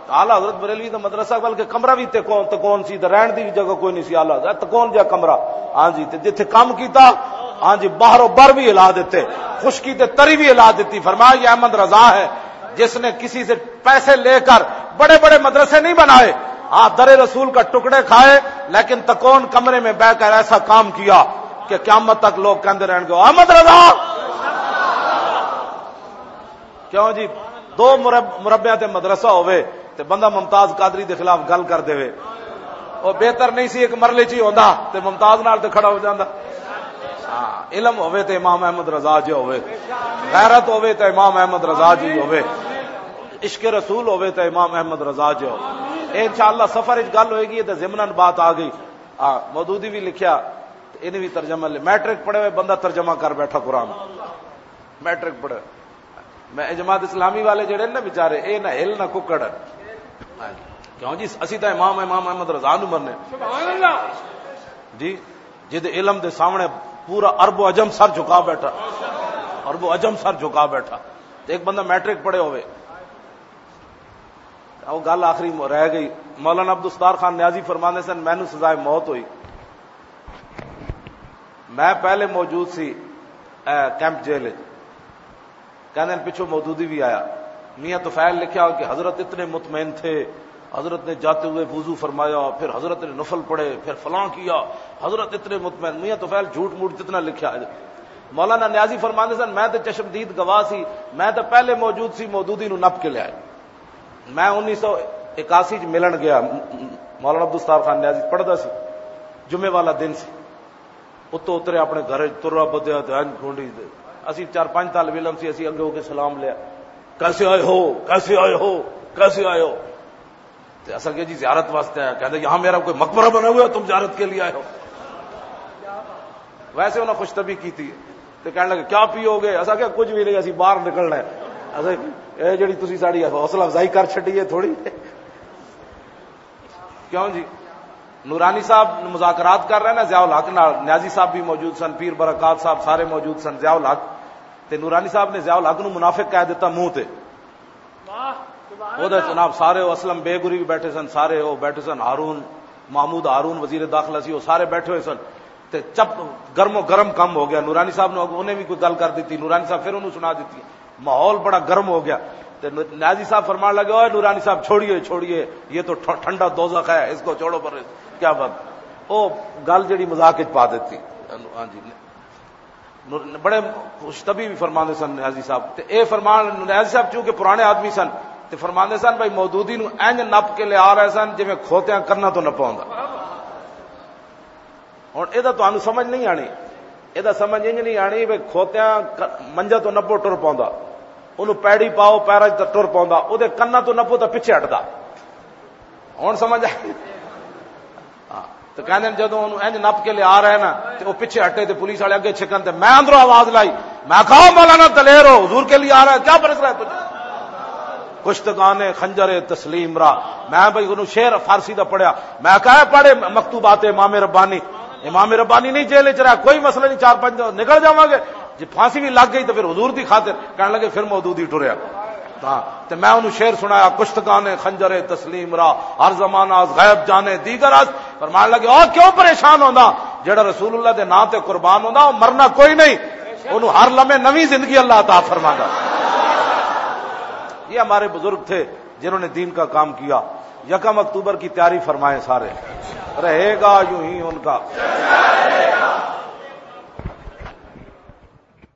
اعلیٰ حضرت بریلوی دا مدرسہ، بلکہ کمرہ بھی تکون، تکون سی، تے رہن دی بھی جگہ کوئی نہیں سی۔ اعلیٰ حضرت تکون جا کمرہ۔ ہاں جی، تے جتھے کام کیتا، ہاں جی، باہر و بر بھی ہلا دیتے، خشکی تے تری بھی ہلا دیتی۔ فرمایا، یہ احمد رضا ہے جس نے کسی سے پیسے لے کر بڑے بڑے مدرسے نہیں بنائے، ہاں، در رسول کا ٹکڑے کھائے، لیکن تکون کمرے میں بہ کر ایسا کام کیا کہ قیامت تک لوگ کہندے رہن گے، "احمد رضا۔" کیوں جی؟ دو مرب-، مربعیاں تے مدرسہ ہووے تے بندہ ممتاز قادری دے خلاف گل کر دے وے، او بہتر نہیں سی ایک مرلے چ ہی ہوندا تے ممتاز نال تے کھڑا ہو جاندا؟ ہاں، علم ہووے تے امام احمد رضا جی ہووے، غیرت ہووے تے امام احمد رضا جی ہووے، عشق رسول ہووے تے امام احمد رضا جی ہووے۔ اے انشاءاللہ سفر وچ گل ہوئے گی تے ضمناً بات آ گئی۔ آ، مودودی بھی لکھیا، تے انہیں بھی ترجمہ لے، میٹرک پڑھے ہوئے بندہ ترجمہ کر بیٹھا قرآن۔ میٹرک پڑھے۔ میں اے جماعت اسلامی والے جڑے نا بیچارے، اے نہ ہل نہ ککڑ۔ ہاں جی۔ کیوں جی، اسی تاں امام، امام احمد رضا نو مرنے۔ سبحان اللہ۔ جی، جد علم دے سامنے پورا عرب و عجم سر جھکا بیٹھا، عرب و عجم سر جھکا بیٹھا۔ تے ایک بندہ میٹرک پڑھے ہوئے، او گل آخری م-، رہ گئی۔ مولانا عبدالستار خان نیازی فرماندے سن، مینوں سزائے موت ہوئی، میں پہلے موجود سی، اے، کیمپ جیل وچ۔ کہندے نے پچھوں مودودی بھی آیا۔ میاں طفیل لکھیا کہ حضرت اتنے مطمئن تھے، حضرت نے جاتے ہوئے وضو فرمایا، پھر حضرت نے نفل پڑھے، پھر فلاں کیا، حضرت اتنے مطمئن۔ میاں طفیل جھوٹ موٹ جتنا لکھیا ہے۔ مولانا نیازی فرماندے سن، میں تے چشمدید گواہ سی، میں تے پہلے موجود سی، مودودی نو نپ کے لیا۔ میں انیس سو اکاسی چ ملن گیا، مولانا عبدالستار خان نیازی پڑھدا سی، جمعے والا دن سی۔ اتوں اترے اپنے گھر وچ ترا بدیا تے انج کھونڈی تے۔ اسی چار پنج طالب علم سی، اسی اگے ہو کے سلام لیا، "کیسے آئے ہو؟ کیسے آئے ہو؟ کیسے آئے ہو؟" تے اساں کہیا، "جی زیارت واسطے آیا۔" کہندا، "یہاں میرا کوئی مقبرہ بنا ہوا ہے، تم زیارت کے لیے آئے ہو؟" ویسے انہاں خوش طبعی کیتی تے کہن لگے، "کیا پیو گے؟" اساں کہیا، "کچھ بھی نہیں، اسی باہر نکلنا ہے، اساں اے جڑی تسی ساڈی حوصلہ افزائی کر چھڈی ہے تھوڑی۔" کیوں جی؟ نورانی صاحب مذاکرات کر رہے ہیں نا ضیاء الحق نال، نیازی صاحب بھی موجود سن، پیر برکات صاحب سارے موجود سن، ضیاء الحق۔ تے نورانی صاحب نے ضیاء الحق نو منافق کہہ دیتا منہ تے۔ واہ، سبحان وہ دے اللہ۔ جناب سارے، وہ اسلم بیگ ہوری بھی بیٹھے سن، سارے وہ بیٹھے سن، ہارون، محمود ہارون وزیر داخلہ سی، وہ سارے بیٹھے ہوئے سن۔ تے چپ، گرم و گرم کم ہو گیا۔ نورانی صاحب نے انہیں بھی کوئی گل کر دیتی، نورانی صاحب پھر انہوں سنا دیتی۔ ماحول بڑا گرم ہو گیا۔ تے نو-، نیازی صاحب فرمان لگے، "اوئے نورانی صاحب، چھوڑیے، چھوڑیے، یہ تو ٹھ-، ٹھنڈا دوزخ ہے، اس کو چھوڑو پر۔" کیا بات؟ وہ گل جڑی مذاق وچ پا دیتی۔ ہاں جی۔ نور-، بڑے خوش طبی بھی فرماندے سن نیازی صاحب۔ تے اے فرمان، نیازی صاحب چونکہ پرانے آدمی سن، تے فرماندے سن، "بھائی، مودودی نو انج نپ کے لے آ رہے سن، جویں کھوتیاں کرنا تو نپا ہوندا۔" ہن اے دا تانوں سمجھ نہیں آنی، اے دا سمجھ انج نہیں آنی، بھائی، کھوتیاں ک-، منجا تو نپو ٹر پاوندا، اونوں پیڑی پاؤ، پیراں 'چ تے ٹر پاوندا، او دے کناں تو نپو تے پچھے ہٹدا۔ ہن سمجھ آئی؟ ہاں۔ تے کہندے نے، جدوں اونوں انج نپ کے لیا رہے نا، تے او پچھے ہٹے تے پولیس والے اگے چھکن، تے میں اندروں آواز لائی، میں کہا، "مولانا دلیر ہو، حضور کے لیے آ رہا ہے، کیا برس رہا ہے تجھے؟" کشتگان خنجر تسلیم را۔ میں بھائی اونوں شعر فارسی دا پڑھیا، میں کہا، "پڑھے مکتوبات امام ربانی۔" امام ربانی نہیں جیل وچ رہا، کوئی مسئلہ نہیں، چار پنج دن نکل جاواں گے۔ جی پھانسی بھی لگ گئی تو پھر حضور دی خاطر۔ کہنے لگے، پھر مودودی ٹریا۔ ہاں، تے میں انہوں شعر سنایا، "کشتگان خنجر تسلیم را، ہر زمانہ از غیب جانے دیگر است۔" فرمان لگے، "او کیوں پریشان ہوندا؟ جڑا رسول اللہ دے نام تے قربان ہوندا، او مرنا کوئی نہیں، اونوں ہر لمحے نویں زندگی اللہ عطا فرماندا۔" یہ ہمارے بزرگ تھے، جنہوں نے دین کا کام کیا۔ یکم اکتوبر کی تیاری فرمائیں سارے، رہے گا یوں ہی ان کا۔